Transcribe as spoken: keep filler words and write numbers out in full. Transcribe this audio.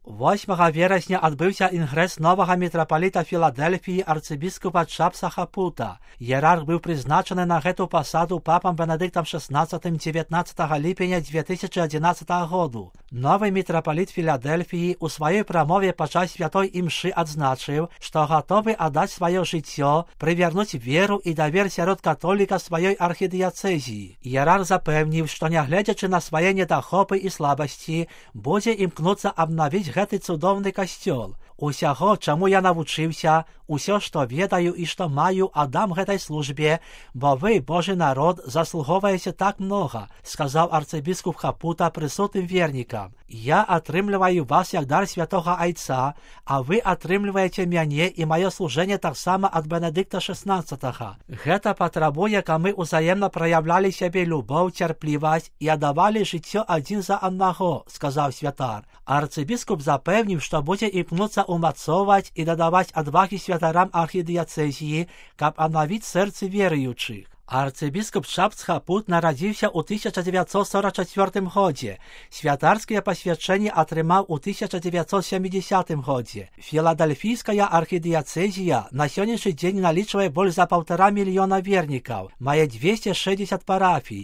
восьмага верасня адбыўся інгрэс новага мітрапаліта Філадэльфіі арцыбіскупа Чапса Хапута. Іерарх быў прызначаны на гэту пасаду папам Бенедыктам шаснаццатым дзевятнаццатага ліпеня дзве тысячы адзінаццатага году. Новы мітрапаліт Філадэльфіі ў сваёй прамове падчас святой імшы адзначыў, што гатовы аддаць сваё жыццё, прывярнуць веру і давер сярод католіка сваёй архідыяцэзіі. Іерарх запэўніў, што нягледзячы на свае недахопы і слабасці, будзе імкнуцца абнавіць гэты цудоўны касцёл. Усяго, чаму я навучыўся, усё, што ведаю і што маю, аддам гэтай службе, бо вы, Божы народ, заслугоўваеце так многа, сказаў арцыбіскуп Хапута прысутным вернікам. Я атрымліваю вас як дар святога айца, а вы атрымліваеце мяне і маё служэнне таксама ад Бенедыкта шаснаццатага. Гэта патрабуе, каб мы ўзаемна праяўлялі сябе любоў, цярплівасць і аддавалі жыццё адзін за аднаго, сказаў святар. Арцыбіскуп запэўніў, што будзе імкнуцца умацоўваць і дадаваць адвагі святарам архідыяцэзіі, каб аднавіць сэрцы веруючых. Арцыбіскуп Чапс Хапут нарадзіўся ў тысяча дзевяцьсот сорак чацвёртым годзе. Святарскае пасвячэнне атрымаў у тысяча дзевяцьсот сямідзясятым годзе. Філадэльфійская архідыяцэзія на сённяшні дзень налічвае больш за паўтара мільёна вернікаў, мае дзвесце шэсцьдзесят парафій,